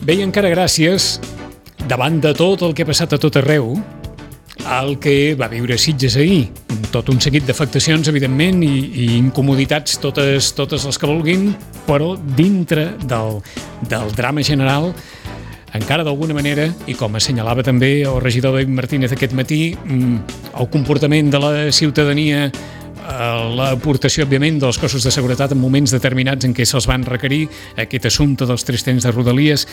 Bé, i encara gràcies, davant de tot el que ha passat a tot arreu, el que va viure Sitges ahir, tot un seguit d'afectacions, evidentment, i incomoditats, totes les que vulguin, però dintre del drama general, encara d'alguna manera, i com assenyalava també el regidor David Martínez aquest matí, el comportament de la ciutadania, l'aportació, òbviament, dels cossos de seguretat en moments determinats en què se'ls van requerir, aquest assumpte dels 3 trens de Rodalies,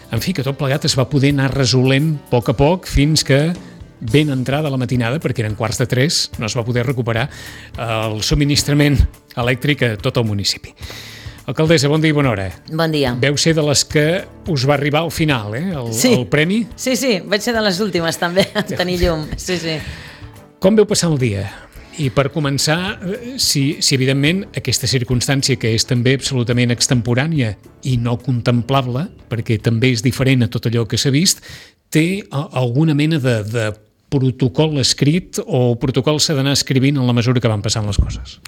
en fi, que tot plegat es va poder anar resolent a poc fins que ben entrada la matinada, perquè eren 2:45, no es va poder recuperar el subministrament elèctric a tot el municipi. Alcaldessa, bon dia i bona hora. Bon dia. Veu ser de les que us va arribar al final, el premi? Sí, vaig ser de les últimes també, a tenir llum. Sí. Com veu passar el dia? I per començar, si evidentment aquesta circumstància, que és també absolutament extemporània i no contemplable, perquè també és diferent a tot allò que s'ha vist, té alguna mena de protocol escrit o protocol s'ha d'anar escrivint en la mesura que van passant les coses?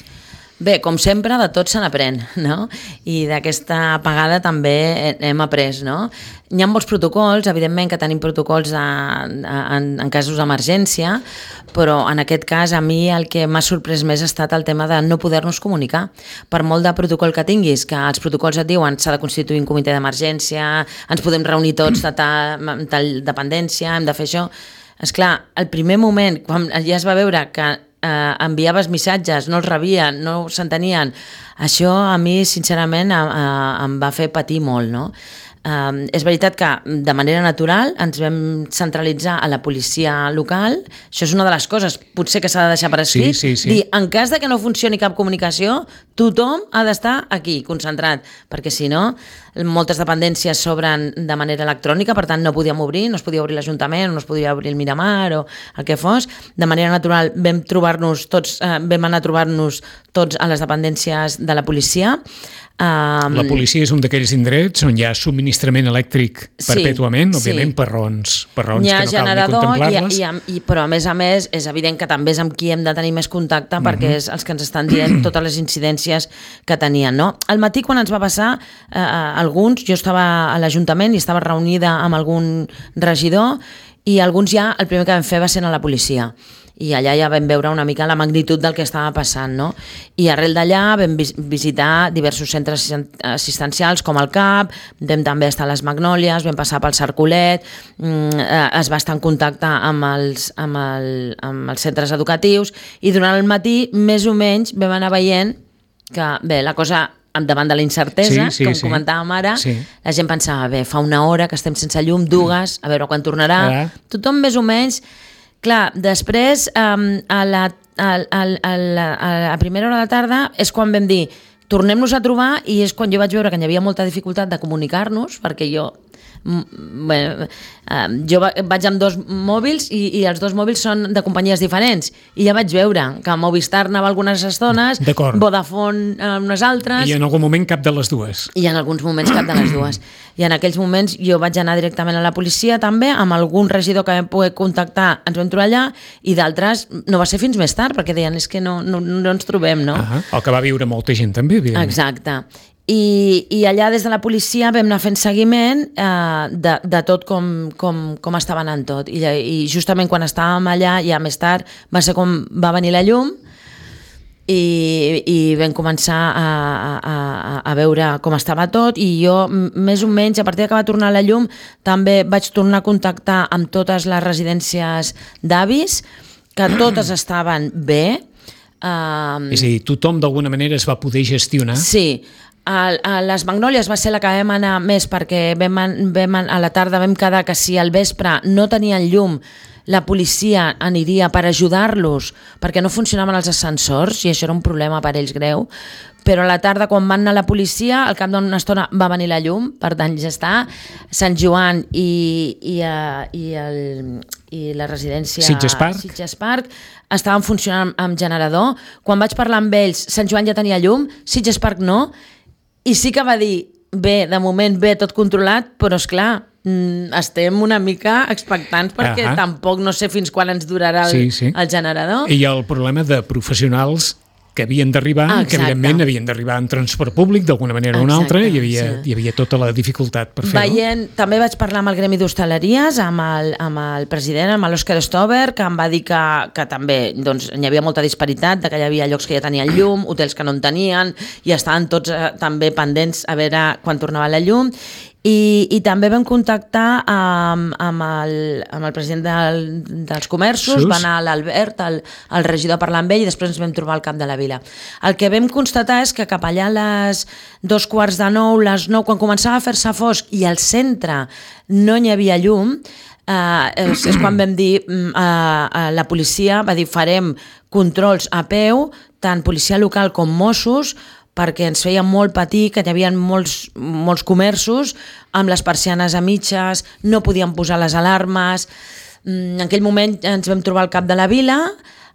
Bé, com sempre, de tot se n'aprèn, no? I d'aquesta apagada també hem après, no? Hi ha molts protocols, evidentment que tenim protocols en casos d'emergència, però en aquest cas a mi el que m'ha sorprès més ha estat el tema de no poder-nos comunicar. Per molt de protocol que tinguis, que els protocols et diuen s'ha de constituir un comitè d'emergència, ens podem reunir tots de tal dependència, hem de fer això. Esclar, el primer moment, quan ja es va veure que enviaves missatges, no els rebien, no s'entenien, això a mi sincerament em va fer patir molt, no? És veritat que de manera natural ens vam centralitzar a la policia local, això és una de les coses potser que s'ha de deixar per escrit, sí. dir, en cas de que no funcioni cap comunicació, tothom ha d'estar aquí, concentrat, perquè si no, moltes dependències s'obren de manera electrònica, per tant no podíem obrir, no es podia obrir l'Ajuntament, no es podia obrir el Miramar o el que fos. De manera natural vam anar a trobar-nos tots a les dependències de la policia. La policia és un d'aquells indrets on hi ha subministrament elèctric perpètuament, òbviament per raons que no cal ni contemplar-les. Però a més és evident que també és amb qui hem de tenir més contacte perquè és els que ens estan dient totes les incidències que tenien, no? Al matí quan ens va passar alguns, jo estava a l'Ajuntament i estava reunida amb algun regidor i alguns ja el primer que vam fer va ser anar a la policia. I allà ja vam veure una mica la magnitud del que estava passant, no? I arrel d'allà vam visitar diversos centres assistencials com el CAP, vam també estar a les Magnòlies, vam passar pel Cercolet, es va estar en contacte amb els centres educatius i durant el matí més o menys vam anar veient que, bé, la cosa davant de la incertesa, com comentàvem ara, la gent pensava, bé, fa una hora que estem sense llum, 2, a veure quan tornarà. Tothom més o menys. Clar, després, a primera hora de la tarda, és quan vam dir tornem-nos a trobar i és quan jo vaig veure que hi havia molta dificultat de comunicar-nos, perquè jo vaig amb 2 mòbils i els 2 mòbils són de companyies diferents i ja vaig veure que Movistar anava algunes estones, Vodafone unes altres i en algun moment cap de les dues i en alguns moments cap de les dues i en aquells moments jo vaig anar directament a la policia també, amb algun regidor que vam poder contactar, ens vam trobar allà i d'altres no va ser fins més tard perquè deien és que no ens trobem, no? El que va viure molta gent també, evidentment. Exacte. I allà des de la policia vam anar fent seguiment de tot com estava anant tot i justament quan estàvem allà ja més tard va ser com va venir la llum i vam començar a veure com estava tot i jo més o menys a partir que va tornar la llum també vaig tornar a contactar amb totes les residències d'avis que totes estaven bé. És a dir, tothom d'alguna manera es va poder gestionar? Sí. A les Magnòlies va ser la que vam anar més perquè a la tarda vam quedar que si al vespre no tenien llum la policia aniria per ajudar-los perquè no funcionaven els ascensors i això era un problema per ells greu, però a la tarda quan van anar a la policia al cap d'una estona va venir la llum, per tant ja està. Sant Joan i la residència Sitges Park estaven funcionant amb generador. Quan vaig parlar amb ells, Sant Joan ja tenia llum, Sitges Park no, i sí que va dir, bé, de moment bé, tot controlat, però esclar, estem una mica expectants perquè tampoc no sé fins quan ens durarà el generador. I el problema de professionals que havien d'arribar, que evidentment havien d'arribar en transport públic d'alguna manera o una altra, i hi havia tota la dificultat per fer-ho. També vaig parlar amb el Gremi d'Hostaleries, amb el president, amb l'Òscar Stover, que em va dir que també hi havia molta disparitat, que hi havia llocs que ja tenien llum, hotels que no en tenien, i estaven tots també pendents a veure quan tornava la llum. I també vam contactar amb el president dels comerços, va anar l'Albert, el regidor, a parlar amb ell, i després ens vam trobar al cap de la vila. El que vam constatar és que cap allà a les 8:45, les 9, quan començava a fer-se fosc i al centre no hi havia llum, és quan vam dir, la policia va dir farem controls a peu, tant policia local com Mossos, perquè ens feia molt patir que hi havia molts comerços amb les persianes a mitges, no podien posar les alarmes. En aquell moment ens vam trobar al cap de la vila,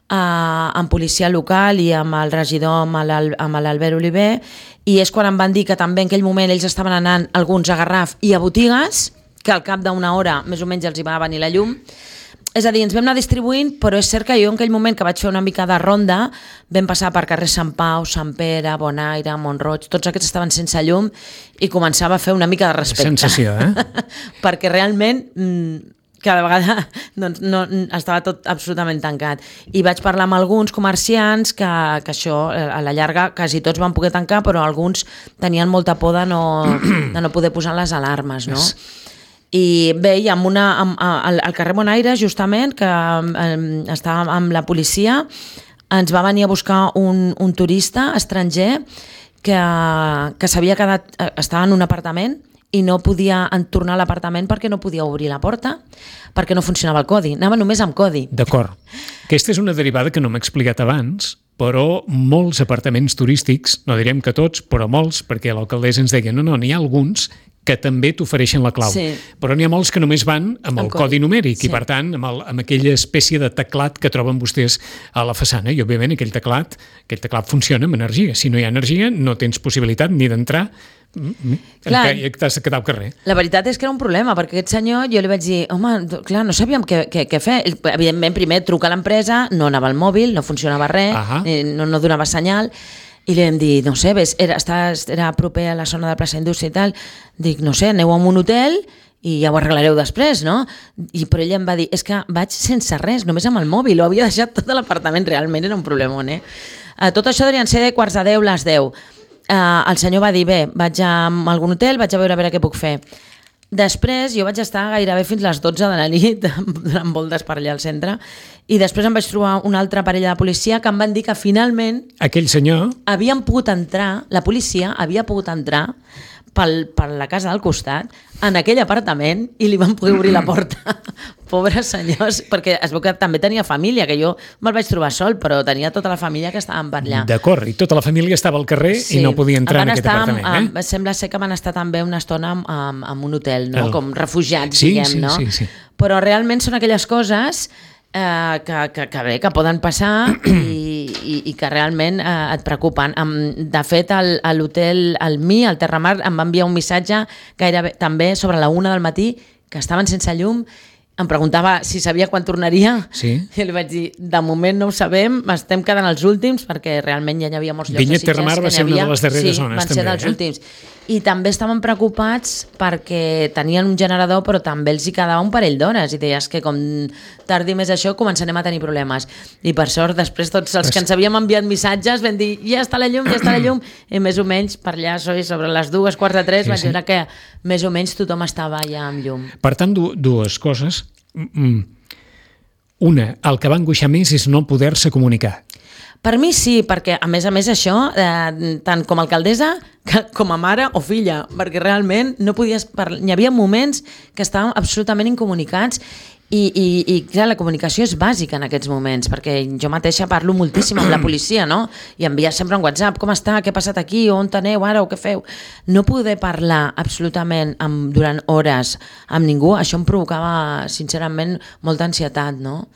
amb policia local i amb el regidor, amb l'Albert Oliver, i és quan em van dir que també en aquell moment ells estaven anant alguns a Garraf i a botigues, que al cap d'una hora més o menys els hi va venir la llum. És a dir, ens vam anar distribuint, però és cert que jo en aquell moment que vaig fer una mica de ronda vam passar per carrer Sant Pau, Sant Pere, Bonaire, Montroig, tots aquests estaven sense llum i començava a fer una mica de respecte. Sensació, Perquè realment cada vegada estava tot absolutament tancat. I vaig parlar amb alguns comerciants que això, a la llarga, quasi tots van poder tancar, però alguns tenien molta por de no poder posar les alarmes, no? I bé, i al carrer Bonaire, justament, que estava amb la policia, ens va venir a buscar un turista estranger que s'havia quedat, estava en un apartament i no podia tornar a l'apartament perquè no podia obrir la porta, perquè no funcionava el codi, anava només amb codi. D'acord. Aquesta és una derivada que no m'he explicat abans, però molts apartaments turístics, no direm que tots, però molts, perquè l'alcaldessa ens deia, no, n'hi ha alguns que també t'ofereixen la clau. Sí. Però n'hi ha molts que només van amb el codi numèric i, per tant, amb aquella espècie de teclat que troben vostès a la façana. I, òbviament, aquell teclat funciona amb energia. Si no hi ha energia, no tens possibilitat ni d'entrar, t'has de quedar al carrer. La veritat és que era un problema, perquè aquest senyor, jo li vaig dir, home, clar, no sabíem què fer. Evidentment, primer truca a l'empresa, no anava al mòbil, no funcionava res, no donava senyal, i li vam dir, no sé, era proper a la zona de plaça Indústria i tal, dic, no sé, aneu a un hotel i ja ho arreglareu després, no? Però ella em va dir, és que vaig sense res, només amb el mòbil, ho havia deixat tot l'apartament, realment era un problemón, Tot això deurien ser de 9:45, les 10. El senyor va dir, bé, vaig a algun hotel, vaig a veure què puc fer. Després jo vaig estar gairebé fins les 12 de la nit donant voltes per allà al centre i després em vaig trobar una altra parella de policia que em van dir que finalment aquell senyor havien pogut entrar, la policia havia pogut entrar per la casa del costat en aquell apartament i li van poder obrir la porta. Pobres senyors, perquè es veu que també tenia família, que jo me'l vaig trobar sol, però tenia tota la família que estaven per allà. D'acord, i tota la família estava al carrer i no podia entrar en aquest apartament. Sembla ser que van estar també una estona en un hotel, no? Com refugiats, diguem, no? Sí. Però realment són aquelles coses que poden passar i que realment et preocupen. De fet, a l'hotel al Terramar, em va enviar un missatge gairebé també sobre la 1 del matí que estaven sense llum. Em preguntava si sabia quan tornaria. Sí. I li vaig dir, de moment no ho sabem, estem quedant els últims, perquè realment ja hi havia molts llocs Vinyet de Sitges. Terramar va ser una de les darreres zones. Sí, van ser dels últims. I també estaven preocupats perquè tenien un generador, però també els hi quedava un parell d'hores. I deies que com tardi més això començarem a tenir problemes. I per sort, després tots els que ens havíem enviat missatges vam dir, ja està la llum, i més o menys per allà sobre les 2:15 vaig veure que més o menys tothom estava ja amb llum. Per tant, dues coses. Una, el que va angoixar més és no poder-se comunicar. Per mi sí, perquè a més això, tant com a alcaldessa com a mare o filla, perquè realment no podies parlar. Hi havia moments que estàvem absolutament incomunicats i clar, la comunicació és bàsica en aquests moments, perquè jo mateixa parlo moltíssim amb la policia, no? I enviar sempre un WhatsApp, com està, què ha passat aquí, on aneu ara o què feu? No poder parlar absolutament durant hores amb ningú, això em provocava sincerament molta ansietat, no?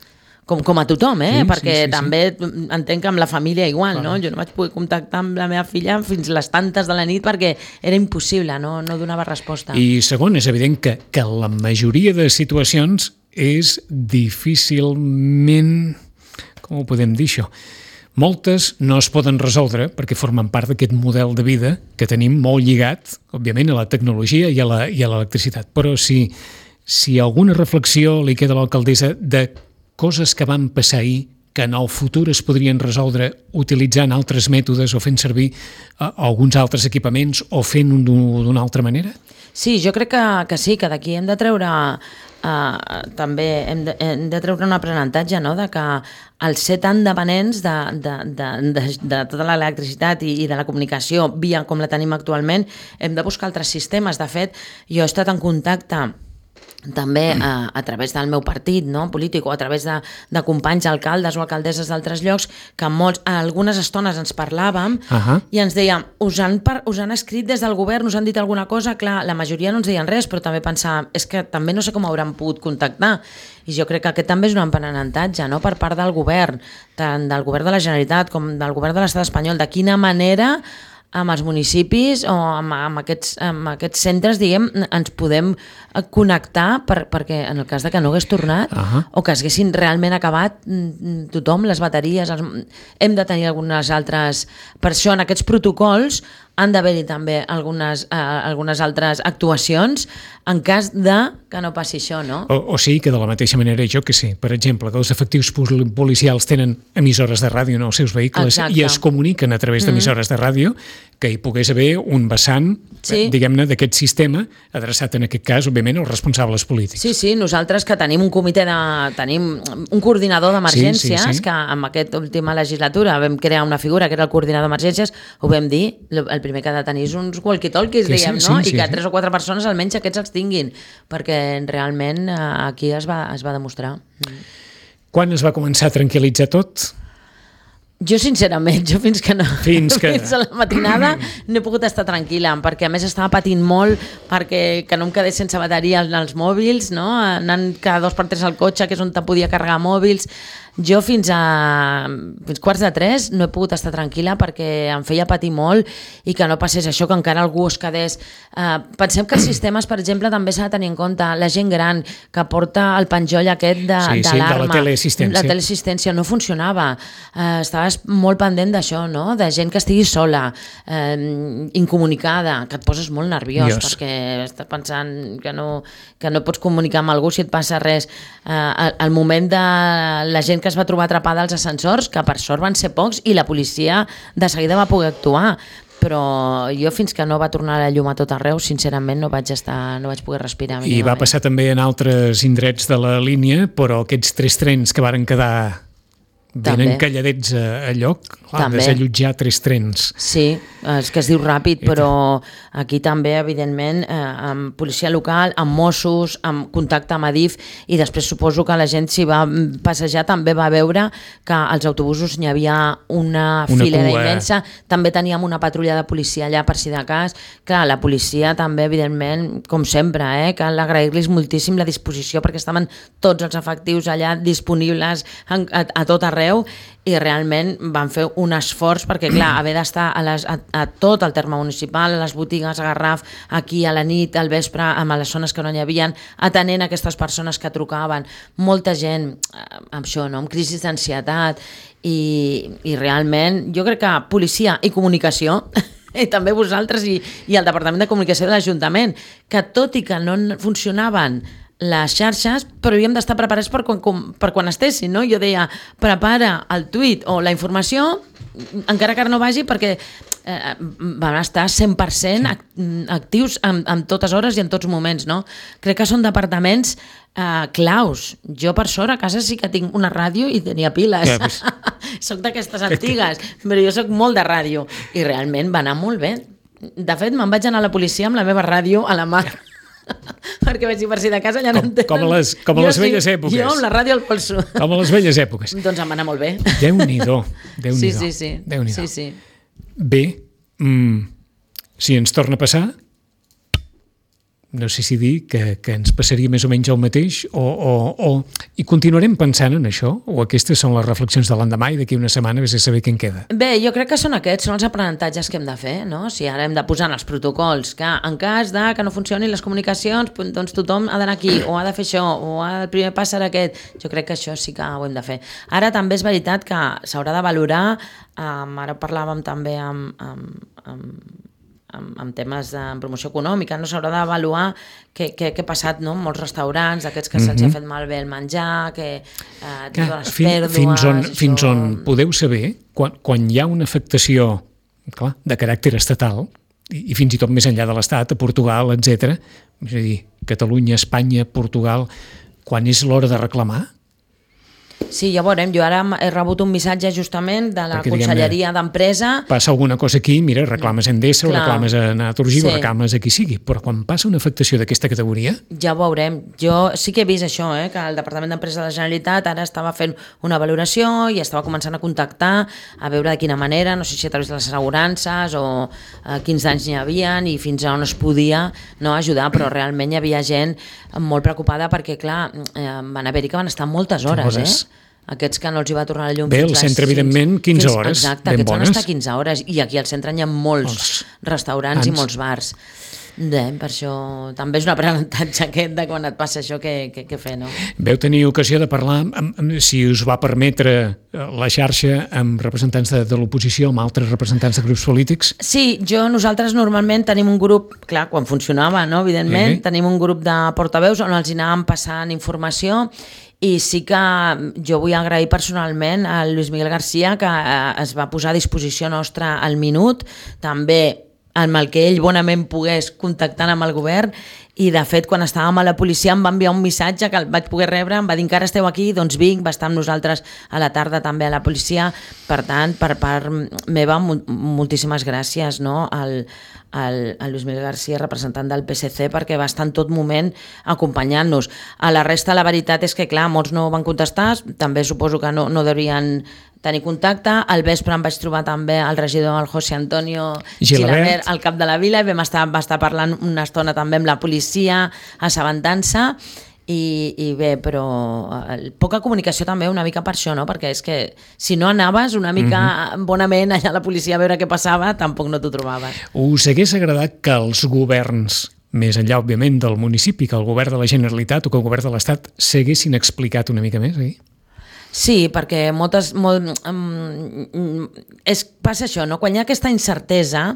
Com a tothom, perquè també entenc que amb la família igual, no? Jo no vaig poder contactar amb la meva filla fins les tantes de la nit perquè era impossible, no donava resposta. I segon, és evident que la majoria de situacions és difícilment, com ho podem dir això? Moltes no es poden resoldre perquè formen part d'aquest model de vida que tenim molt lligat, òbviament, a la tecnologia i a l'electricitat. Però si alguna reflexió li queda a l'alcaldessa de coses que van passar ahir que en el futur es podrien resoldre utilitzant altres mètodes o fent servir alguns altres equipaments o fent-ho d'una altra manera? Sí, jo crec que sí, que d'aquí hem de treure també hem de treure un aprenentatge, no?, de que al ser tan dependents de tota l'electricitat i de la comunicació via com la tenim actualment, hem de buscar altres sistemes. De fet, jo he estat en contacte també a través del meu partit, no, polític, o a través de companys alcaldes o alcaldesses d'altres llocs, que algunes estones ens parlàvem i ens deien, us han escrit des del govern, us han dit alguna cosa? Clar, la majoria no ens deien res, però també pensàvem, és que també no sé com hauran pogut contactar. I jo crec que aquest també és un aprenentatge, no?, per part del govern, tant del govern de la Generalitat com del govern de l'Estat espanyol, de quina manera amb els municipis o amb aquests centres, diguem, ens podem connectar perquè en el cas de que no hagués tornat o que haguessin realment acabat tothom, les bateries, hem de tenir algunes altres... Per això en aquests protocols han d'haver-hi també algunes altres actuacions en cas de que no passi això, no? O sigui que de la mateixa manera, jo que sé, per exemple, que els efectius policials tenen emissores de ràdio en els seus vehicles i es comuniquen a través d'emissores de ràdio, que hi pogués haver un vessant, diguem-ne, d'aquest sistema adreçat en aquest cas, òbviament, als responsables polítics. Sí, nosaltres que tenim un comitè tenim un coordinador d'emergències que en aquesta última legislatura vam crear una figura que era el coordinador d'emergències, ho vam dir, el primer que ha de tenir és uns walkie-talkies, diguem, no? I que 3 o 4 persones almenys aquests els tinguin, perquè realment aquí es va demostrar. Quan es va començar a tranquil·litzar tot? Jo, sincerament, fins a la matinada no he pogut estar tranquil·la, perquè a més estava patint molt perquè que no em quedés sense bateria als mòbils, no? Anant cada 2 per 3 al cotxe, que és on te podia carregar mòbils. Jo fins 2:45 no he pogut estar tranquil·la perquè em feia patir molt i que no passés això, que encara algú es quedés... Pensem que els sistemes, per exemple, també s'ha de tenir en compte la gent gran que porta el penjoll aquest d'alarma. De la teleassistència. La teleassistència no funcionava. Estaves molt pendent d'això, no? De gent que estigui sola, incomunicada, que et poses molt nerviós perquè estàs pensant que no pots comunicar amb algú si et passa res. Al moment de la gent que es va trobar atrapada als ascensors, que per sort van ser pocs i la policia de seguida va poder actuar, però jo fins que no va tornar la llum a tot arreu, sincerament no vaig poder respirar. I va passar també en altres indrets de la línia, però aquests 3 trens que varen quedar ben encalladets a lloc, desallotjar 3 trens. Sí, és que es diu ràpid, però aquí també, evidentment, amb policia local, amb Mossos, amb contacte amb Adif, i després suposo que la gent s'hi va passejar, també va veure que als autobusos n'hi havia una filera immensa, també teníem una patrulla de policia allà per si de cas. Clar, la policia també, evidentment, com sempre, cal agrair-los moltíssim la disposició perquè estaven tots els efectius allà disponibles a tot arreu, i realment van fer un esforç perquè, clar, haver d'estar a tot el terme municipal, a les botigues, a Garraf, aquí a la nit, al vespre, amb les zones que no n'hi havia, atenent aquestes persones que trucaven, molta gent amb això, no?, amb crisis d'ansietat, i realment jo crec que policia i comunicació i també vosaltres i el Departament de Comunicació de l'Ajuntament, que tot i que no funcionaven les xarxes, però havíem d'estar preparats per quan estessin, no? Jo deia, prepara el tuit o la informació, encara que no vagi, perquè van estar 100% actius en totes hores i en tots moments, no? Crec que són departaments claus. Jo, per sort, a casa sí que tinc una ràdio i tenia piles. Soc d'aquestes antigues, però jo soc molt de ràdio i realment va anar molt bé. De fet, me'n vaig anar a la policia amb la meva ràdio a la mà. Perquè vaig dir, per si de casa ja no en tenen. Com a les velles èpoques. Jo amb la ràdio al polso. Com a les velles èpoques. Doncs em va anar molt bé. Déu-n'hi-do. Sí. Bé, si ens torna a passar, no sé si dir que ens passaria més o menys el mateix i continuarem pensant en això, o aquestes són les reflexions de l'endemà i d'aquí una setmana vés a saber què en queda. Bé, jo crec que són els aprenentatges que hem de fer, no? Si ara hem de posar en els protocols que en cas de que no funcionin les comunicacions, doncs tothom ha d'anar aquí, o ha de fer això, o el primer pas serà aquest. Jo crec que això sí que ho hem de fer. Ara també és veritat que s'haurà de valorar, ara parlàvem també amb temes de promoció econòmica, no s'haurà d'avaluar què ha passat, no? Molts restaurants, aquests que se'ls ha fet malbé el menjar, totes les pèrdues... Fins on podeu saber, quan hi ha una afectació de caràcter estatal, i fins i tot més enllà de l'Estat, a Portugal, etc. És a dir, Catalunya, Espanya, Portugal, quan és l'hora de reclamar? Sí, ja veurem. Jo ara he rebut un missatge justament de la Conselleria d'Empresa. Passa alguna cosa aquí, mira, reclames a Endesa, o reclames a Naturgy, o reclames a qui sigui, però quan passa una afectació d'aquesta categoria... Ja ho veurem. Jo sí que he vist això, que el Departament d'Empresa de la Generalitat ara estava fent una valoració i estava començant a contactar a veure de quina manera, no sé si a través de les assegurances o quins danys n'hi havia i fins a on es podia ajudar, però realment hi havia gent molt preocupada perquè, clar, van haver-hi que van estar moltes hores, Aquests que no els hi va tornar la llum fins a les 6. Bé, al centre, evidentment, 15 hores. Exacte, aquests van estar 15 hores. I aquí al centre hi ha molts restaurants i molts bars. Per això també és un aprenentatge aquest de quan et passa això que fer, no? Veu tenir ocasió de parlar, si us va permetre la xarxa, amb representants de l'oposició, amb altres representants de grups polítics? Sí, nosaltres normalment tenim un grup, clar, quan funcionava, no? Evidentment, tenim un grup de portaveus on els hi anàvem passant informació. I sí que jo vull agrair personalment al Lluís Miguel García, que es va posar a disposició nostra al minut, també amb el que ell bonament pogués contactant amb el govern, i de fet quan estàvem a la policia em va enviar un missatge que el vaig poder rebre, em va dir que ara esteu aquí, doncs vinc, va estar amb nosaltres a la tarda també a la policia. Per tant, per part meva, moltíssimes gràcies, no? al Lluís Miguel García, representant del PSC, perquè va estar en tot moment acompanyant-nos. A la resta, la veritat és que, clar, molts no van contestar, també suposo que no deurien tenir contacte. Al vespre em vaig trobar també el regidor, el José Antonio Gilabert, al cap de la vila, i va estar parlant una estona també amb la policia, assabentant-se. I bé, però poca comunicació també una mica per això, no? Perquè és que si no anaves una mica bonament allà a la policia a veure què passava, tampoc no t'ho trobaves. Us hagués agradat que els governs, més enllà òbviament del municipi, que el govern de la Generalitat o que el govern de l'Estat s'haguessin explicat una mica més, oi? Sí, perquè passa això, no? Quan hi ha aquesta incertesa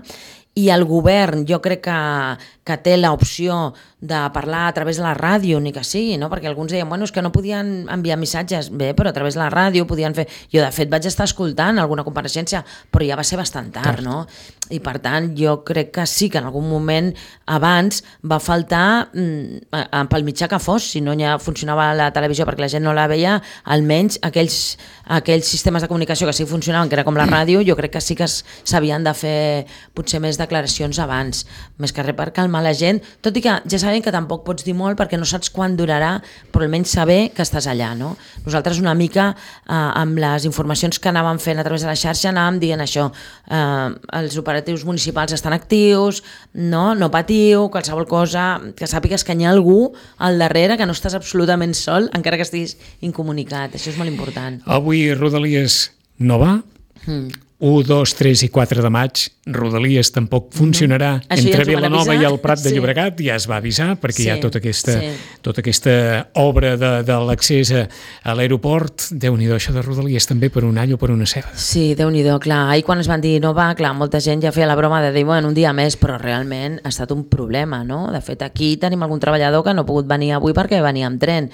i el govern, jo crec que té l'opció de parlar a través de la ràdio, ni que sigui, no? Perquè alguns deien, bueno, és que no podien enviar missatges, bé, però a través de la ràdio podien fer... Jo, de fet, vaig estar escoltant alguna compareixença, però ja va ser bastant tard, no? I, per tant, jo crec que sí que en algun moment abans va faltar, pel mitjà que fos, si no ja funcionava la televisió perquè la gent no la veia, almenys aquells sistemes de comunicació que sí funcionaven, que era com la ràdio, jo crec que sí que s'havien de fer potser més declaracions abans, més que res per calmar la gent, tot i que ja sabem que tampoc pots dir molt perquè no saps quan durarà, però almenys saber que estàs allà, no? Nosaltres una mica amb les informacions que anàvem fent a través de la xarxa anàvem dient això, els operatius municipals estan actius, no patiu, qualsevol cosa, que sàpigues que hi ha algú al darrere, que no estàs absolutament sol, encara que estiguis incomunicat, això és molt important. Avui Rodalies no va, 1, 2, 3 i 4 de maig, Rodalies tampoc funcionarà entre Vilanova i el Prat de Llobregat, ja es va avisar, perquè hi ha tota aquesta obra de l'accés a l'aeroport. Déu-n'hi-do, això de Rodalies també per un all o per una ceba. Sí, Déu-n'hi-do, clar. Ahir quan es van dir no va, clar, molta gent ja feia la broma de dir, bueno, un dia més, però realment ha estat un problema, no? De fet, aquí tenim algun treballador que no ha pogut venir avui perquè venia amb tren.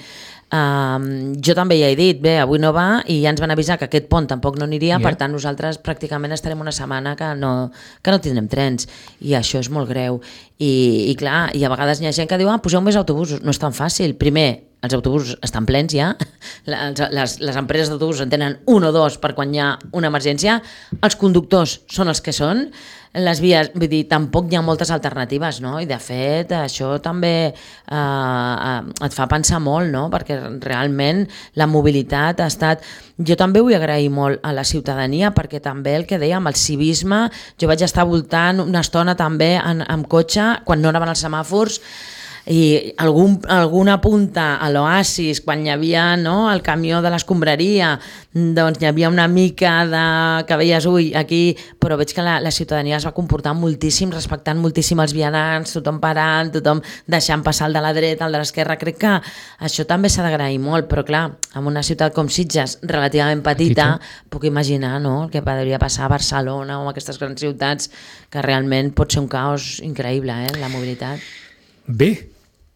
Jo també ja he dit, bé, avui no va i ja ens van avisar que aquest pont tampoc no aniria, per tant nosaltres pràcticament estarem una setmana que no tindrem trens, i això és molt greu. I clar, i a vegades hi ha gent que diu, poseu més autobusos. No és tan fàcil. Primer, els autobusos estan plens ja, les empreses d'autobusos en tenen 1 o 2 per quan hi ha una emergència, els conductors són els que són, les vies, vull dir, tampoc hi ha moltes alternatives, no? I de fet això també et fa pensar molt, no? Perquè realment la mobilitat ha estat... Jo també vull agrair molt a la ciutadania, perquè també el que dèiem, el civisme, jo vaig estar voltant una estona també amb cotxe, quan no anaven els semàfors, i alguna punta a l'oasis, quan hi havia el camió de l'escombraria, doncs hi havia una mica que veies, aquí, però veig que la ciutadania es va comportar moltíssim, respectant moltíssim els vianants, tothom parant, tothom deixant passar el de la dreta, el de l'esquerra. Crec que això també s'ha d'agrair molt, però clar, en una ciutat com Sitges, relativament petita, puc imaginar el que podria passar a Barcelona o a aquestes grans ciutats, que realment pot ser un caos increïble, la mobilitat. Bé,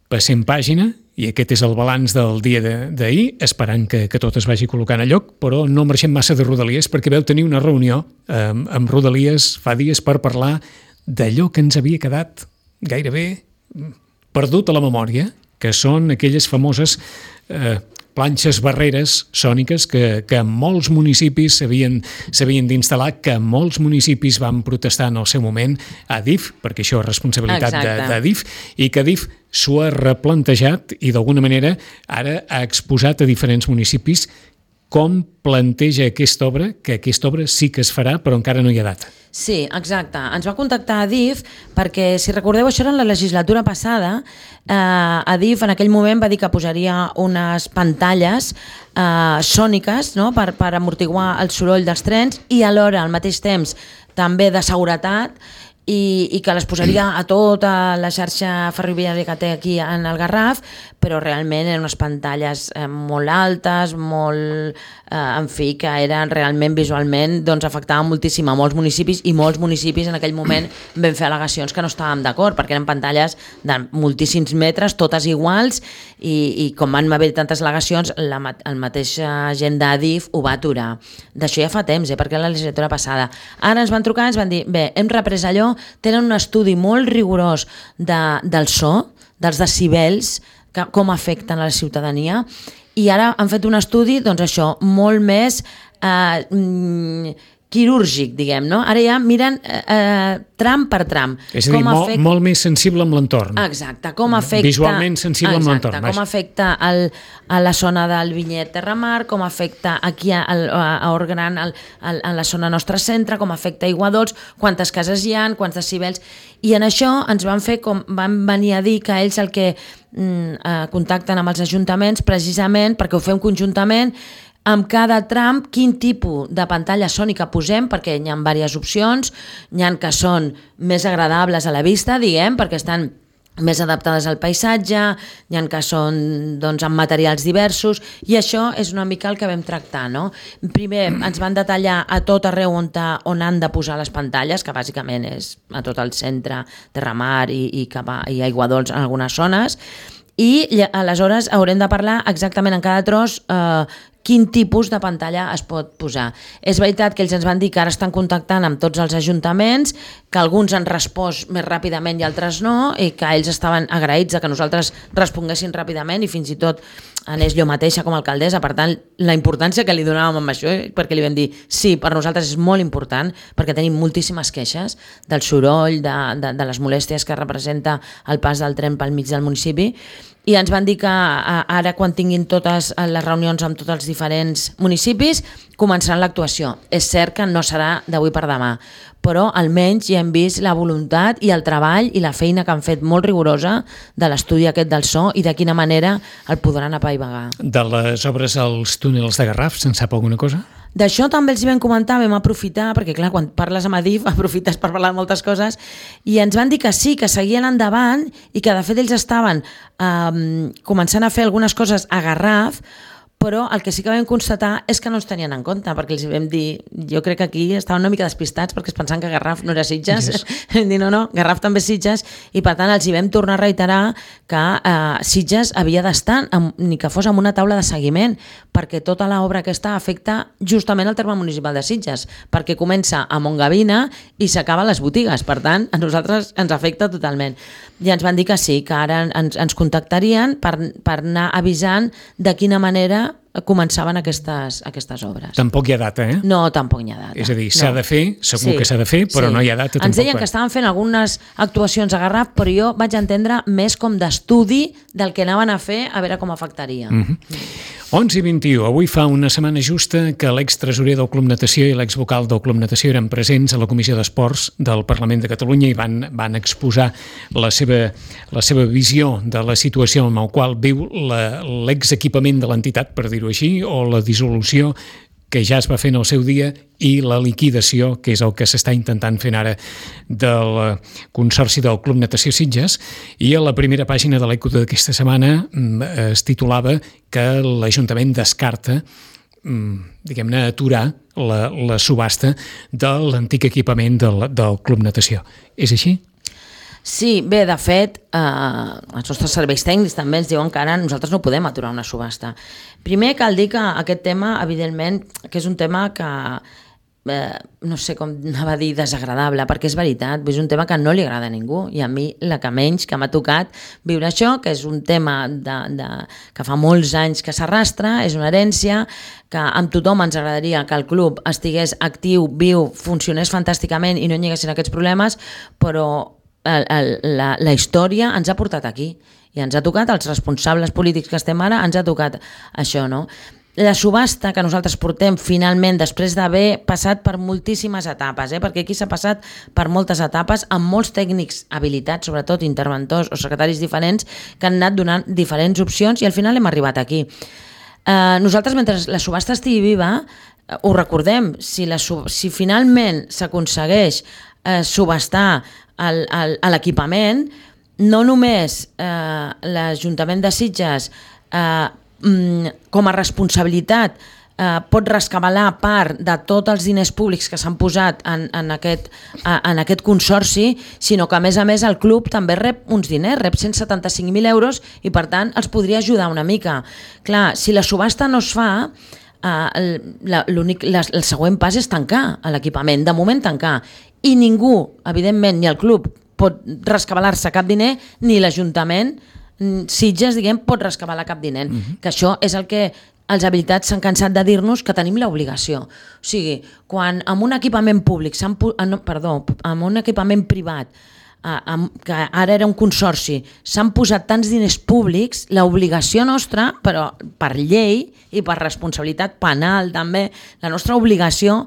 passem pàgina, i aquest és el balanç del dia d'ahir, esperant que tot es vagi col·locant a lloc, però no marxem massa de Rodalies, perquè vau tenir una reunió amb Rodalies fa dies per parlar d'allò que ens havia quedat gairebé perdut a la memòria, que són aquelles famoses planxes barreres sòniques que molts municipis s'havien d'instal·lar, que molts municipis van protestar en el seu moment a DIF, perquè això és responsabilitat de DIF, i que DIF s'ho ha replantejat i d'alguna manera ara ha exposat a diferents municipis com planteja aquesta obra, que aquesta obra sí que es farà, però encara no hi ha data. Sí, exacte. Ens va contactar DIF perquè, si recordeu, això era en la legislatura passada. DIF en aquell moment va dir que posaria unes pantalles sòniques per amortiguar el soroll dels trens i alhora, al mateix temps, també de seguretat, i que les posaria a tota la xarxa ferroviària que té aquí en el Garraf, però realment eren unes pantalles molt altes, molt, en fi, que eren realment visualment, doncs afectaven moltíssim a molts municipis, i molts municipis en aquell moment van fer al·legacions que no estàvem d'acord, perquè eren pantalles de moltíssims metres, totes iguals, i com van haver tantes al·legacions, el mateix gent d'Adif ho va aturar. D'això ja fa temps, perquè era la legislatura passada. Ara ens van trucar i ens van dir, bé, hem reprès allò, tenen un estudi molt rigorós del so, dels decibels, com afecten a la ciutadania, i ara han fet un estudi, doncs això, molt més quirúrgic, diguem, no? Ara ja miren tram per tram. És a dir, molt més sensible amb l'entorn. Exacte, com afecta... Visualment sensible amb l'entorn. Com afecta a la zona del Vinyet Terramar, com afecta aquí a Orgran, a la zona nostra centre, com afecta a Aiguadols, quantes cases hi ha, quants decibels... I en això ens van venir a dir que ells el que contacten amb els ajuntaments precisament perquè ho fem conjuntament, amb cada tram quin tipus de pantalla sònica posem, perquè hi ha diverses opcions, hi ha que són més agradables a la vista, diguem, perquè estan més adaptades al paisatge, hi ha que són doncs, amb materials diversos, i això és una mica el que vam tractar, no? Primer ens van detallar a tot arreu on han de posar les pantalles, que bàsicament és a tot el centre, Terramar i Aiguadols en algunes zones, i aleshores haurem de parlar exactament en cada tros quin tipus de pantalla es pot posar. És veritat que ells ens van dir que ara estan contactant amb tots els ajuntaments, que alguns han respost més ràpidament i altres no, i que ells estaven agraïts que nosaltres responguessin ràpidament, i fins i tot anés jo mateixa com a alcaldessa. Per tant, la importància que li donàvem amb això, perquè li vam dir sí, per nosaltres és molt important, perquè tenim moltíssimes queixes del soroll, de les molèsties que representa el pas del tren pel mig del municipi, i ens van dir que ara, quan tinguin totes les reunions amb tots els diferents municipis, començaran l'actuació. És cert que no serà d'avui per demà, però almenys ja hem vist la voluntat i el treball i la feina que han fet molt rigorosa de l'estudi aquest del so i de quina manera el podran apaivagar. De les obres als túnels de Garraf, se'n sap alguna cosa? D'això també els vam comentar, vam aprofitar, perquè clar, quan parles amb Adif aprofites per parlar de moltes coses, i ens van dir que sí, que seguien endavant i que de fet ells estaven començant a fer algunes coses a Garraf, però el que sí que vam constatar és que no ens tenien en compte, perquè els vam dir, jo crec que aquí estaven una mica despistats perquè es pensaven que Garraf no era Sitges, yes. Vam dir no, Garraf també és Sitges, i per tant els hi vam tornar a reiterar que Sitges havia d'estar, ni que fos amb una taula de seguiment, perquè tota l'obra aquesta afecta justament el terme municipal de Sitges, perquè comença a Montgavina i s'acaba a les botigues, per tant a nosaltres ens afecta totalment. I ens van dir que sí, que ara ens contactarien per anar avisant de quina manera començaven aquestes obres. Tampoc hi ha data, eh? No, tampoc hi ha data. És a dir, s'ha de fer, segur que s'ha de fer, però no hi ha data tampoc. Ens deien que estaven fent algunes actuacions a Garraf, però jo vaig entendre més com d'estudi del que anaven a fer, a veure com afectaria. 11:21. Avui fa una setmana justa que l'extresorer del Club Natació i l'exvocal del Club Natació eren presents a la Comissió d'Esports del Parlament de Catalunya i van exposar la seva visió de la situació en la qual viu l'exequipament de l'entitat, per dir-ho així, o la dissolució que ja es va fer en el seu dia i la liquidació, que és el que s'està intentant fer ara del Consorci del Club Natació Sitges. I a la primera pàgina de l'Eco d'aquesta setmana es titulava que l'Ajuntament descarta, diguem-ne, aturar la subhasta de l'antic equipament del Club Natació. És així? Sí, bé, de fet, els nostres serveis tècnics també ens diuen que ara nosaltres no podem aturar una subhasta. Primer cal dir que aquest tema, evidentment, que és un tema que, no sé com anava a dir, desagradable, perquè és veritat, és un tema que no li agrada a ningú, i a mi la que menys que m'ha tocat viure això, que és un tema que fa molts anys que s'arrastra, és una herència, que amb tothom ens agradaria que el club estigués actiu, viu, funcionés fantàsticament i no hi haguessin aquests problemes, però la història ens ha portat aquí i ens ha tocat, als responsables polítics que estem ara, ens ha tocat això, no? La subhasta que nosaltres portem finalment, després d'haver passat per moltíssimes etapes, perquè aquí s'ha passat per moltes etapes, amb molts tècnics habilitats, sobretot interventors o secretaris diferents, que han anat donant diferents opcions i al final hem arribat aquí. Nosaltres, mentre la subhasta estigui viva, ho recordem, si finalment s'aconsegueix subhastar l'equipament, no només l'Ajuntament de Sitges com a responsabilitat pot rescabalar part de tots els diners públics que s'han posat en aquest consorci, sinó que a més el club també rep uns diners, rep 175.000 euros i per tant els podria ajudar una mica. Clar, si la subhasta no es fa, el següent pas és tancar l'equipament, de moment tancar, i ningú, evidentment, ni el club pot rescabalar-se cap diner, ni l'Ajuntament Sitges, diguem, pot rescabalar cap diner. Que això és el que els habilitats s'han cansat de dir-nos, que tenim l'obligació. O sigui, quan amb un equipament públic, amb un equipament privat, que ara era un consorci, s'han posat tants diners públics, l'obligació nostra, però per llei i per responsabilitat penal també, la nostra obligació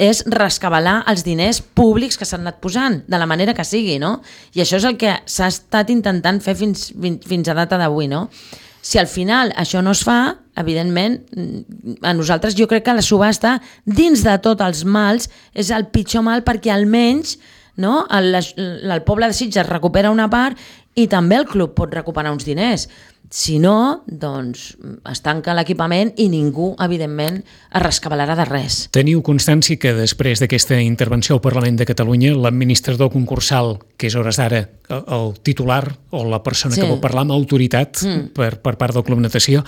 és rescabalar els diners públics que s'han anat posant, de la manera que sigui, no? I això és el que s'ha estat intentant fer fins a data d'avui, no? Si al final això no es fa, evidentment, a nosaltres jo crec que la subhasta, dins de tots els mals, és el pitjor mal perquè almenys el poble de Sitges recupera una part i també el club pot recuperar uns diners. Si no, doncs es tanca l'equipament i ningú, evidentment, es rescabalarà de res. Teniu constància que després d'aquesta intervenció al Parlament de Catalunya, l'administrador concursal, que és hores d'ara el titular o la persona que vol parlar amb autoritat per part del Club Natació,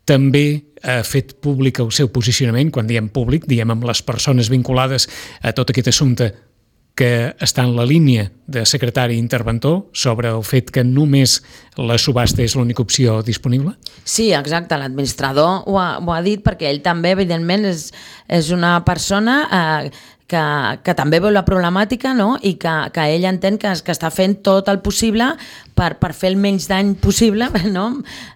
també ha fet públic el seu posicionament, quan diem públic, diem amb les persones vinculades a tot aquest assumpte, que està en la línia de secretari interventor sobre el fet que només la subhasta és l'única opció disponible? Sí, exacte, l'administrador ho ha dit perquè ell també, evidentment, és una persona que també veu la problemàtica, no? I que ell entén que està fent tot el possible per fer el menys dany possible, no?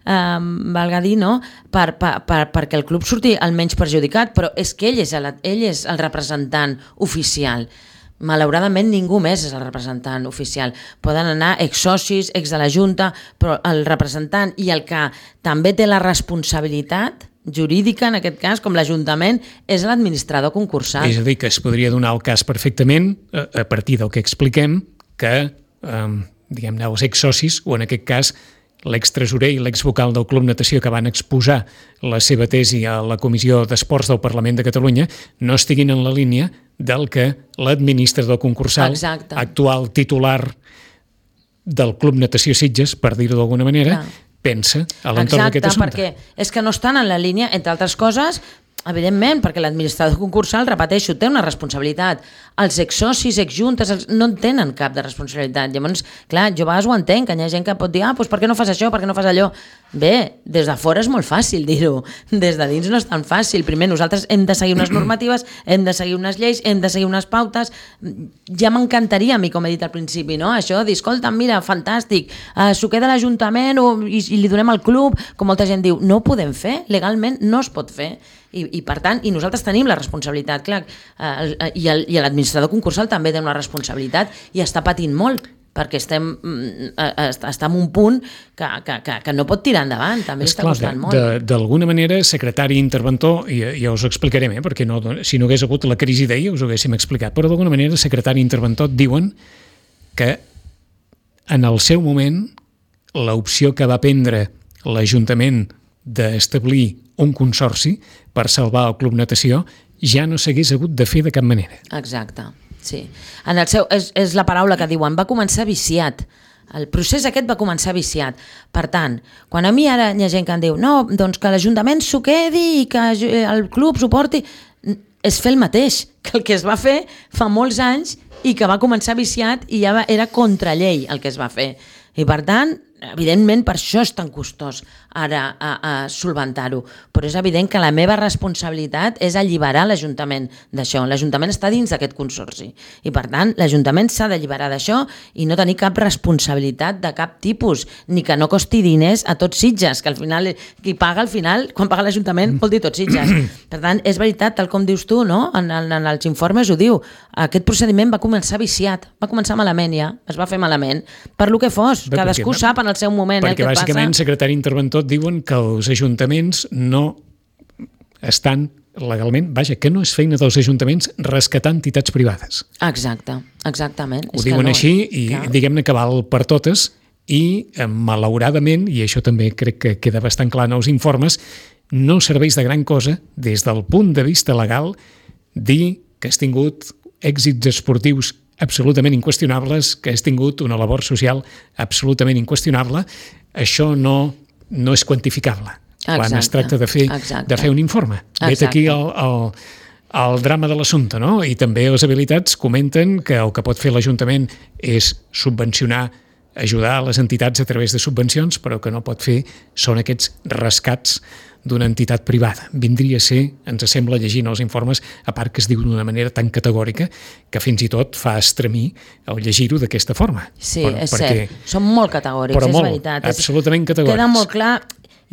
Valga dir, no? Perquè el club surti el menys perjudicat, però és que ell és el representant oficial. Malauradament ningú més és el representant oficial. Poden anar exsocis, ex de la Junta, però el representant i el que també té la responsabilitat jurídica, en aquest cas, com l'Ajuntament, és l'administrador concursal. És a dir, que es podria donar el cas perfectament, a partir del que expliquem, que diguem-ne els exsocis, o en aquest cas l'extresorer i l'exvocal del Club Natació que van exposar la seva tesi a la Comissió d'Esports del Parlament de Catalunya, no estiguin en la línia del que l'administrador concursal, actual titular del Club Natació Sitges, per dir-ho d'alguna manera, pensa a l'entorn d'aquest assumpte. Exacte, perquè és que no estan en la línia, entre altres coses, evidentment, perquè l'administrador concursal, repeteixo, té una responsabilitat. Els exsocis, exjuntes, no en tenen cap de responsabilitat. Llavors, clar, jo a vegades ho entenc, que hi ha gent que pot dir, doncs per què no fas això, per què no fas allò? Bé, des de fora és molt fàcil dir-ho, des de dins no és tan fàcil. Primer, nosaltres hem de seguir unes normatives, hem de seguir unes lleis, hem de seguir unes pautes. Ja m'encantaria a mi, com he dit al principi, no? Això de dir, escolta, mira, fantàstic, s'ho queda l'Ajuntament i li donem al club, com molta gent diu, no ho podem fer, legalment no es pot fer. I per tant, i nosaltres tenim la responsabilitat, clar, i l'administrador concursal també té una responsabilitat i està patint molt, perquè estem en un punt que no pot tirar endavant, també li està costant molt. D'alguna manera, secretari interventor, i ja us ho explicarem, perquè si no hagués hagut la crisi d'ahir us ho haguéssim explicat, però d'alguna manera, secretari interventor, diuen que en el seu moment l'opció que va prendre l'Ajuntament d'establir un consorci per salvar el Club Natació ja no s'hagués hagut de fer de cap manera. Exacte, sí. És la paraula que diuen, va començar viciat. El procés aquest va començar viciat. Per tant, quan a mi ara hi ha gent que em diu no, doncs que l'Ajuntament s'ho quedi i que el club s'ho porti, és fer el mateix que el que es va fer fa molts anys i que va començar viciat i ja era contra llei el que es va fer. I per tant, evidentment per això és tan costós ara a solventar-ho, però és evident que la meva responsabilitat és alliberar l'Ajuntament d'això. L'Ajuntament està dins d'aquest consorci i per tant l'Ajuntament s'ha d'alliberar d'això i no tenir cap responsabilitat de cap tipus, ni que no costi diners a tots Sitges, que al final qui paga al final, quan paga l'Ajuntament vol dir tots Sitges. Per tant, és veritat, tal com dius tu, no? En els informes ho diu, aquest procediment va començar viciat, va començar malament ja, es va fer malament, per lo que fos, cadascú sap en el seu moment perquè què passa. Perquè bàsicament, secretari interventor, diuen que els ajuntaments no estan legalment, que no és feina dels ajuntaments rescatar entitats privades. Exacte, exactament. Ho diuen així i diguem-ne que val per totes i malauradament, i això també crec que queda bastant clar en els informes, no serveix de gran cosa des del punt de vista legal dir que has tingut èxits esportius absolutament inqüestionables, que has tingut una labor social absolutament inqüestionable. Això no és quantificable quan es tracta de fer un informe. Vet aquí el drama de l'assumpte, no? I també les habilitats comenten que el que pot fer l'Ajuntament és subvencionar, ajudar les entitats a través de subvencions, però que no pot fer són aquests rescats d'una entitat privada. Vindria a ser, ens sembla llegint els informes, a part que es diu d'una manera tan categòrica que fins i tot fa estremir el llegir-ho d'aquesta forma. Sí, és cert. Són molt categòrics, és veritat. Absolutament categòrics. Queda molt clar,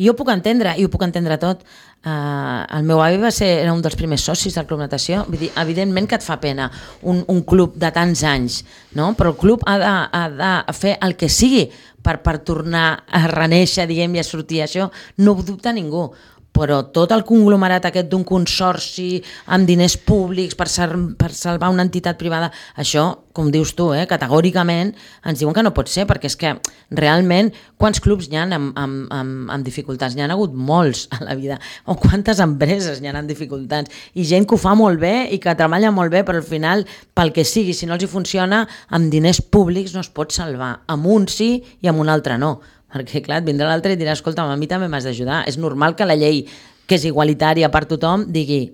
i ho puc entendre, i ho puc entendre tot. El meu avi era un dels primers socis del Club Natació. Vull dir, evidentment que et fa pena un club de tants anys, no? Però el club ha de fer el que sigui per tornar a renéixer, diguem, i a sortir. Això no ho dubta ningú. Però tot el conglomerat aquest d'un consorci amb diners públics per salvar una entitat privada, això, com dius tu, categòricament ens diuen que no pot ser, perquè és que realment quants clubs hi ha amb dificultats? N'hi ha hagut molts a la vida, o quantes empreses hi ha amb dificultats, i gent que ho fa molt bé i que treballa molt bé, però al final, pel que sigui, si no els hi funciona, amb diners públics no es pot salvar, amb un sí i amb un altre no. Perquè, clar, et vindrà l'altre i dirà, escolta, a mi també m'has d'ajudar. És normal que la llei, que és igualitària per tothom, digui,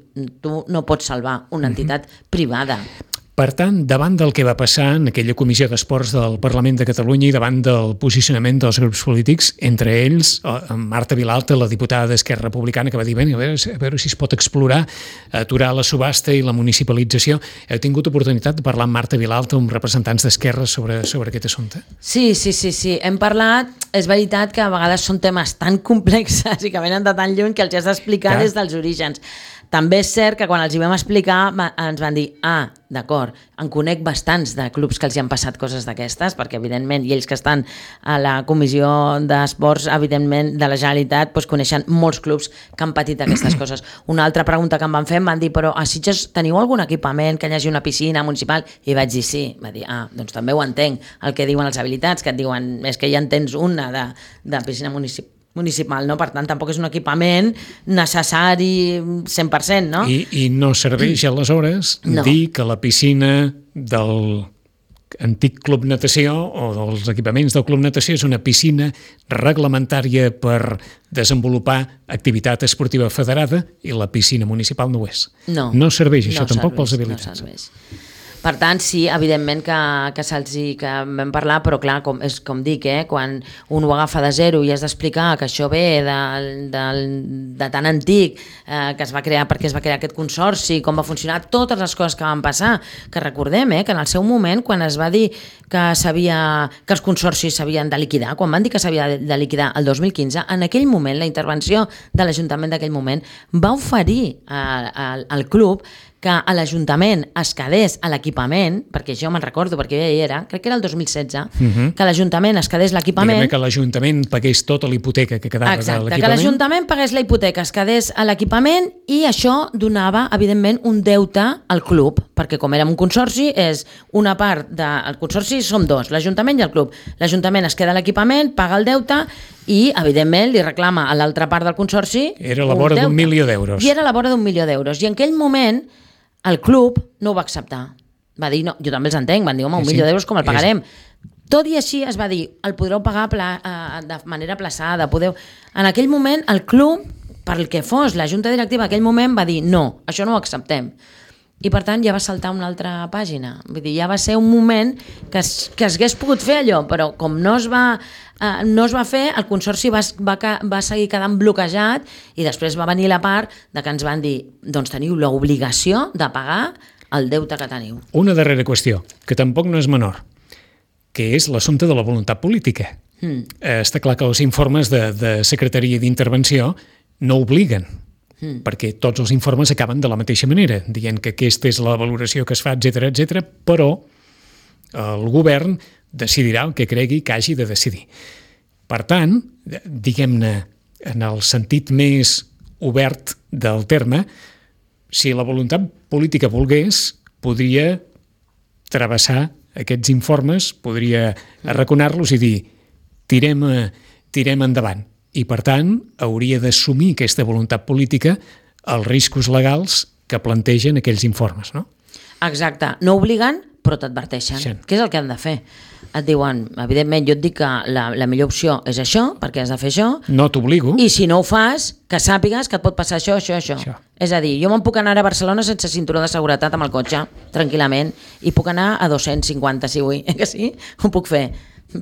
tu no pots salvar una entitat privada. Per tant, davant del que va passar en aquella comissió d'esports del Parlament de Catalunya i davant del posicionament dels grups polítics, entre ells Marta Vilalta, la diputada d'Esquerra Republicana, que va dir, a veure si es pot explorar, aturar la subhasta i la municipalització. Heu tingut oportunitat de parlar amb Marta Vilalta, amb representants d'Esquerra sobre aquest assumpte? Sí. Hem parlat. És veritat que a vegades són temes tan complexes i que venen de tan lluny que els has d'explicar des dels orígens. També és cert que quan els hi vam explicar ens van dir, d'acord, en conec bastants de clubs que els hi han passat coses d'aquestes, perquè evidentment, i ells que estan a la comissió d'esports, evidentment, de la Generalitat, doncs coneixen molts clubs que han patit aquestes coses. Una altra pregunta que em van fer, em van dir, però a Sitges teniu algun equipament que hi hagi una piscina municipal? I vaig dir sí. Va dir, doncs també ho entenc, el que diuen els habilitats, que et diuen, és que ja en tens una de piscina municipal, no? Per tant, tampoc és un equipament necessari 100%, no? I no serveix aleshores dir que la piscina del antic club natació o dels equipaments del club natació és una piscina reglamentària per desenvolupar activitat esportiva federada i la piscina municipal no ho és. No serveix això tampoc pels habilitats. No serveix. Per tant, sí, evidentment que que vam parlar, però clar, com dic, quan un ho agafa de zero i has d'explicar que això ve de tan antic, que es va crear, perquè es va crear aquest consorci, com va funcionar, totes les coses que van passar, que recordem que en el seu moment, quan es va dir que els consorcis s'havien de liquidar, quan van dir que s'havia de liquidar el 2015, en aquell moment, la intervenció de l'Ajuntament d'aquell moment va oferir al club que a l'Ajuntament es quedés a l'equipament, perquè jo me'n recordo, perquè ja hi era, crec que era el 2016, que l'Ajuntament es quedés l'equipament... Diguem que l'Ajuntament pagués tota la hipoteca que quedava de l'equipament. Exacte, que l'Ajuntament pagués la hipoteca, es quedés a l'equipament i això donava, evidentment, un deute al club, perquè com érem un consorci, és una part del consorci, som dos, l'Ajuntament i el club. L'Ajuntament es queda a l'equipament, paga el deute i, evidentment, li reclama a l'altra part del consorci... Era a la vora d'1 milió d'euros. I era a la vora d'1 milió d'euros. I en aquell moment el club no ho va acceptar. Va dir, no, jo també els entenc, van dir, home, 1 milió d'euros com el pagarem? Tot i així es va dir, el podreu pagar de manera aplaçada, En aquell moment el club, per el que fos la junta directiva, en aquell moment va dir, no, això no ho acceptem. I per tant ja va saltar una altra pàgina. Vull dir, ja va ser un moment que es hagués pogut fer allò, però com no es va fer, el consorci va seguir quedant bloquejat i després va venir la part de que ens van dir, doncs teniu l'obligació de pagar el deute que teniu. Una darrera qüestió, que tampoc no és menor, que és l'assumpte de la voluntat política. Està clar que els informes de secretaria d'intervenció no obliguen, perquè tots els informes acaben de la mateixa manera, dient que aquesta és la valoració que es fa, etc, però el govern decidirà el que cregui que hagi de decidir. Per tant, diguem-ne, en el sentit més obert del terme, si la voluntat política volgués, podria travessar aquests informes, podria arraconar-los i dir tirem endavant. I, per tant, hauria d'assumir aquesta voluntat política els riscos legals que plantegen aquells informes, no? Exacte. No obliguen, però t'adverteixen. Sí. Què és el que han de fer? Et diuen, evidentment, jo et dic que la millor opció és això, perquè has de fer això. No t'obligo. I si no ho fas, que sàpigues que et pot passar això. És a dir, jo me'n puc anar a Barcelona sense cinturó de seguretat amb el cotxe, tranquil·lament, i puc anar a 250 si vull, que sí? Ho puc fer.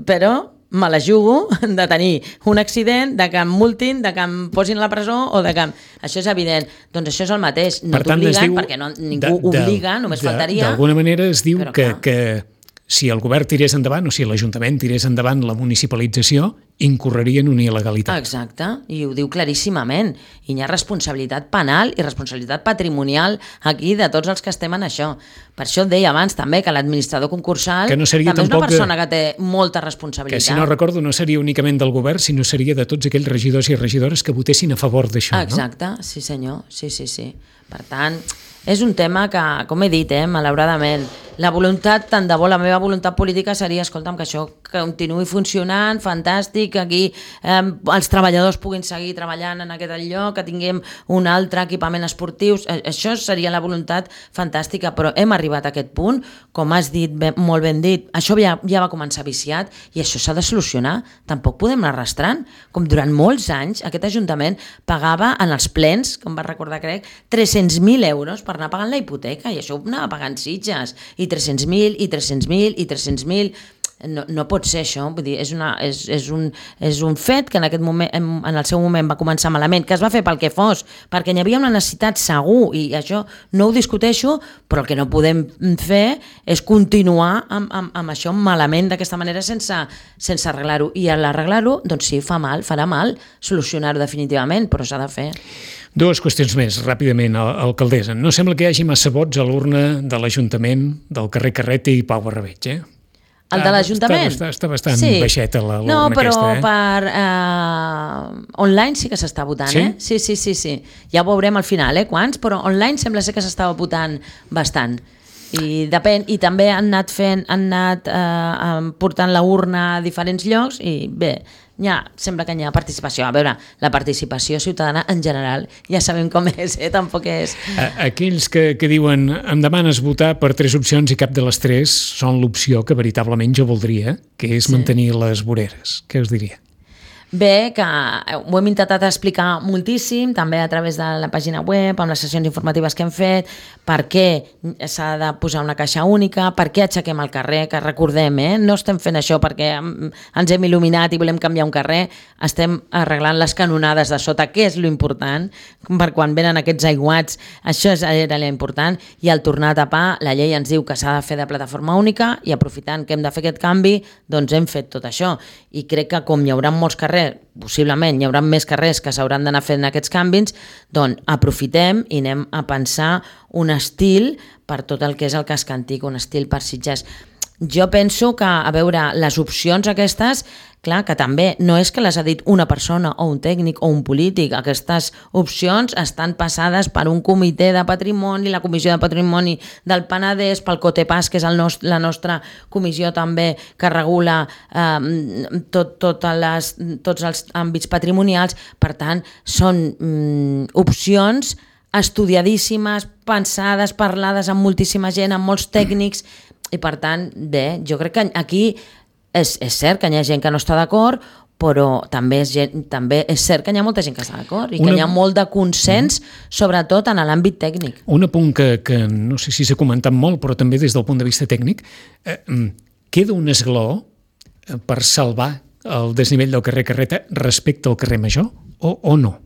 Però me la jugo de tenir un accident, de que em multin, de que em posin a la presó o de que... Això és evident. Doncs això és el mateix. No t'obliguen, perquè ningú obliga, només faltaria. D'alguna manera es diu que si el govern tirés endavant o si l'Ajuntament tirés endavant la municipalització, incorreria en una il·legalitat. Exacte, i ho diu claríssimament. I hi ha responsabilitat penal i responsabilitat patrimonial aquí de tots els que estem en això. Per això et deia abans també que l'administrador concursal també és una persona que té molta responsabilitat. Que si no recordo no seria únicament del govern, sinó seria de tots aquells regidors i regidores que votessin a favor d'això. Exacte, no? Sí senyor, sí. Per tant, és un tema que, com he dit, malauradament, la voluntat, tant de bo la meva voluntat política seria, escolta'm, que això continuï funcionant, fantàstic, que aquí els treballadors puguin seguir treballant en aquest lloc, que tinguem un altre equipament esportiu, això seria la voluntat fantàstica, però hem arribat a aquest punt, com has dit, molt ben dit, això ja va començar viciat i això s'ha de solucionar, tampoc podem anar arrastrant, com durant molts anys aquest Ajuntament pagava en els plens, com va recordar crec, 300.000 euros per anar pagant la hipoteca i això ho anava pagant Sitges, i 300.000, i 300.000, i 300.000... No pot ser això, vull dir, és un fet que en aquest moment, en el seu moment va començar malament, que es va fer pel que fos, perquè n'hi havia una necessitat segur, i això no ho discuteixo, però el que no podem fer és continuar amb això malament d'aquesta manera sense arreglar-ho, i a l'arreglar-ho, doncs sí, farà mal solucionar-ho definitivament, però s'ha de fer. Dues qüestions més, ràpidament, alcaldessa. No sembla que hi hagi massa vots a l'urna de l'Ajuntament del carrer Carrete i Pau Barrabeig, El de l'Ajuntament? Està bastant baixeta l'urna aquesta, aquesta, No, però per online sí que s'està votant, Sí. Sí. Ja ho veurem al final, quants, però online sembla ser que s'estava votant bastant. I depèn, i també han anat portant la urna a diferents llocs i bé, sembla que hi ha participació. A veure, la participació ciutadana en general ja sabem com és, tampoc és... Aquells que diuen em demanes votar per 3 opcions i cap de les 3 són l'opció que veritablement jo voldria, que és mantenir les voreres. Què us diria? Bé, que ho hem intentat explicar moltíssim, també a través de la pàgina web, amb les sessions informatives que hem fet, per què s'ha de posar una caixa única, per què aixequem el carrer, que recordem, no estem fent això perquè ens hem il·luminat i volem canviar un carrer, estem arreglant les canonades de sota, que és l'important, per quan venen aquests aiguats, això era l'important, i al tornar a tapar, la llei ens diu que s'ha de fer de plataforma única, i aprofitant que hem de fer aquest canvi, doncs hem fet tot això, i crec que com hi haurà molts carrers, possiblement hi haurà més carrers que s'hauran d'anar fent aquests canvis, doncs aprofitem i anem a pensar un estil per tot el que és el casc antic, un estil per Sitges. Jo penso que, a veure, les opcions aquestes, clar, que també no és que les ha dit una persona o un tècnic o un polític, aquestes opcions estan passades per un comitè de patrimoni, la comissió de patrimoni del Penedès, pel COTEPAS, que és la nostra comissió també que regula tots els àmbits patrimonials. Per tant, són opcions estudiadíssimes, pensades, parlades amb moltíssima gent, amb molts tècnics, i per tant, bé, jo crec que aquí és cert que hi ha gent que no està d'acord, però també és cert que hi ha molta gent que està d'acord i que hi ha molt de consens, sobretot en l'àmbit tècnic. Un apunt que no sé si s'ha comentat molt, però també des del punt de vista tècnic, queda un esglaó per salvar el desnivell del carrer Carreta respecte al carrer Major o no?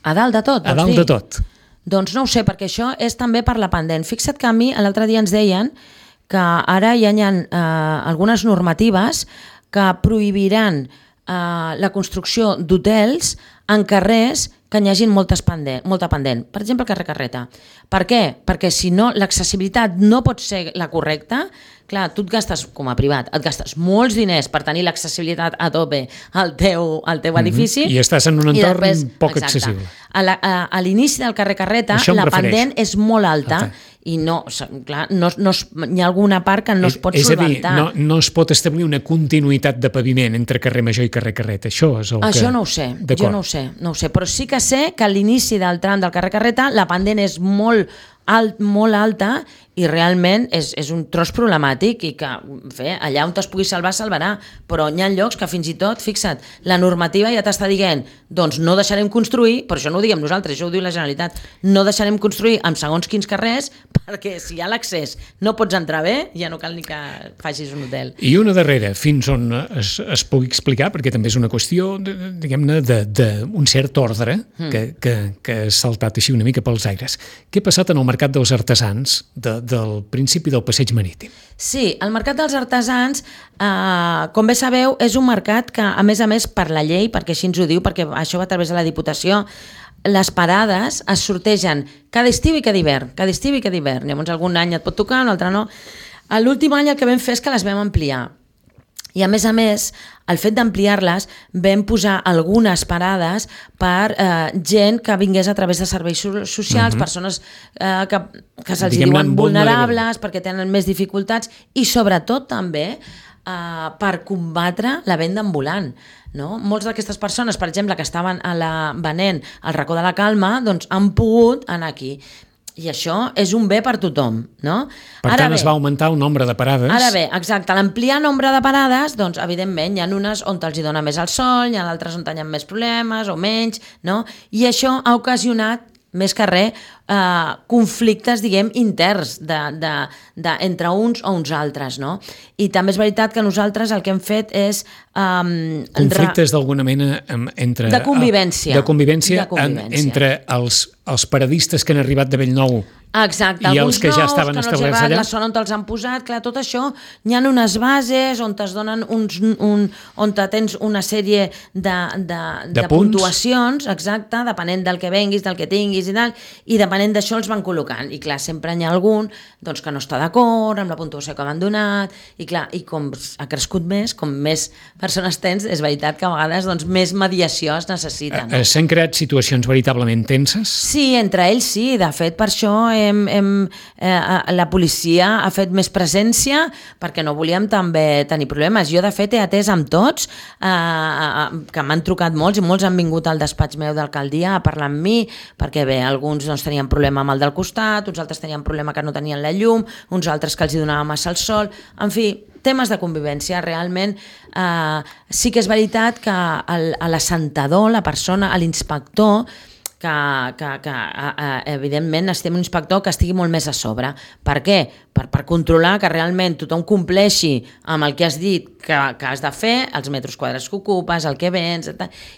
A dalt de tot, vols dir? A dalt de tot. Doncs no ho sé, perquè això és també per la pendent. Fixa't que a mi l'altre dia ens deien que ara hi ha algunes normatives que prohibiran la construcció d'hotels en carrers que n'hi hagin molta pendent. Per exemple, el carrer Carreta. Per què? Perquè si no, l'accessibilitat no pot ser la correcta. Clar, tu et gastes, com a privat, et gastes molts diners per tenir l'accessibilitat a tope al teu edifici. I estàs en un entorn poc accessible. A l'inici del carrer Carreta la pendent és molt alta i no, clar, hi ha alguna part que no es pot solventar. És a dir, no es pot establir una continuïtat de paviment entre carrer Major i carrer Carreta. Això és el que... Això no ho sé, jo no ho sé, però sí que sé que a l'inici del tram del carrer Carreta la pendent és molt alta i realment és un tros problemàtic i que allà on es pugui salvar, salvarà, però hi ha llocs que fins i tot, fixa't, la normativa ja t'està dient, doncs no deixarem construir, però això no ho diguem nosaltres, això ho diu la Generalitat, no deixarem construir en segons quins carrers perquè si hi ha l'accés no pots entrar bé, ja no cal ni que facis un hotel. I una darrera, fins on es pugui explicar, perquè també és una qüestió, diguem-ne, d'un cert ordre que ha saltat així una mica pels aires. Què ha passat en el Mercat dels Artesans del principi del passeig marítim? Sí, el Mercat dels Artesans, com bé sabeu, és un mercat que, a més, per la llei, perquè així ens ho diu, perquè això va a través de la Diputació, les parades es sortegen cada estiu i cada hivern. Llavors, algun any et pot tocar, un altre no. L'últim any el que vam fer és que les vam ampliar. I a més, el fet d'ampliar-les vam posar algunes parades per gent que vingués a través de serveis socials, persones que se'ls diuen vulnerables, perquè tenen més dificultats i sobretot també per combatre la venda ambulant. No? Molts d'aquestes persones, per exemple, que estaven venent al Racó de la Calma, doncs han pogut anar aquí. I això és un bé per tothom, no? Per tant, es va augmentar el nombre de parades. Ara bé, exacte, l'ampliar nombre de parades, doncs, evidentment, hi ha unes on els hi dona més el sol, hi ha altres on hi ha més problemes o menys, no? I això ha ocasionat més que res, conflictes, diguem, interns entre uns o uns altres, no? I també és veritat que nosaltres el que hem fet és... conflictes d'alguna mena entre... De convivència. De convivència entre els paradistes que han arribat de Bellnou. Exacte, i alguns els que ja estaven establerts allà. La zona on els han posat, clar, tot això, hi ha unes bases on es donen on tens una sèrie de puntuacions, exacte, depenent del que venguis, del que tinguis i tal, i depenent d'això els van col·locant. I clar, sempre hi ha algun doncs, que no està d'acord amb la puntuació que van donat, i clar, i com ha crescut més, com més persones tens, és veritat que a vegades doncs, més mediació es necessita. No? S'han creat situacions veritablement tenses? Sí, entre ells sí, de fet per això la policia ha fet més presència perquè no volíem també tenir problemes. Jo, de fet, he atès amb tots, que m'han trucat molts i molts han vingut al despatx meu d'alcaldia a parlar amb mi, perquè bé, alguns doncs, tenien problema amb el del costat, uns altres tenien problema que no tenien la llum, uns altres que els hi donava massa el sol, en fi, temes de convivència. Realment sí que és veritat que l'assentador, la persona, l'inspector, que evidentment estem un inspector que estigui molt més a sobre. Per què? Per controlar que realment tothom compleixi amb el que has dit que has de fer, els metres quadrats que ocupes, el que vens,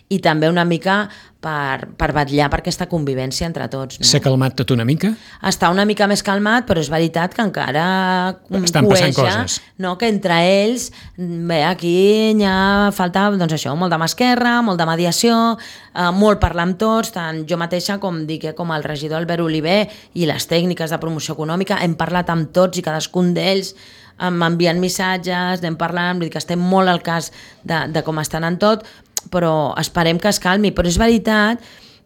i també una mica per vetllar per aquesta convivència entre tots. No? S'ha calmat tot una mica? Està una mica més calmat, però és veritat que encara estan passant coses. No? Que entre ells, bé, aquí hi ha falta, doncs això, molt de mà esquerra, molt de mediació, molt parlar amb tots, tant jo mateixa com el regidor Albert Oliver i les tècniques de promoció econòmica, hem parlat amb tots i cadascun d'ells m'envien missatges, anem parlant, vull dir que estem molt al cas de com estan en tot, però esperem que es calmi. Però és veritat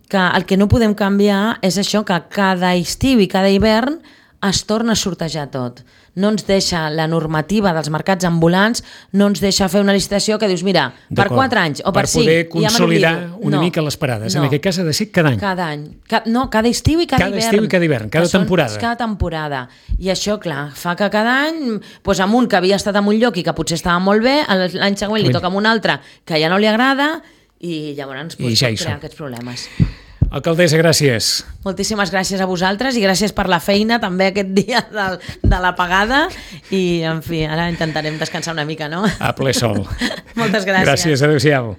que el que no podem canviar és això, que cada estiu i cada hivern es torna a sortejar tot. No ens deixa la normativa dels mercats ambulants, no ens deixa fer una licitació que dius, mira, per 4 anys o per 5... Per poder consolidar una mica les parades. En aquest cas ha de ser cada any. Cada any. No, cada estiu i cada hivern. Cada estiu i cada hivern, cada temporada. Cada temporada. I això, clar, fa que cada any, doncs amb un que havia estat en un lloc i que potser estava molt bé, l'any següent li toca amb un altre que ja no li agrada i llavors pot crear aquests problemes. Alcaldessa, gràcies. Moltíssimes gràcies a vosaltres i gràcies per la feina també aquest dia de l'apagada i, en fi, ara intentarem descansar una mica, no? A ple sol. Moltes gràcies. Gràcies, adéu-siau.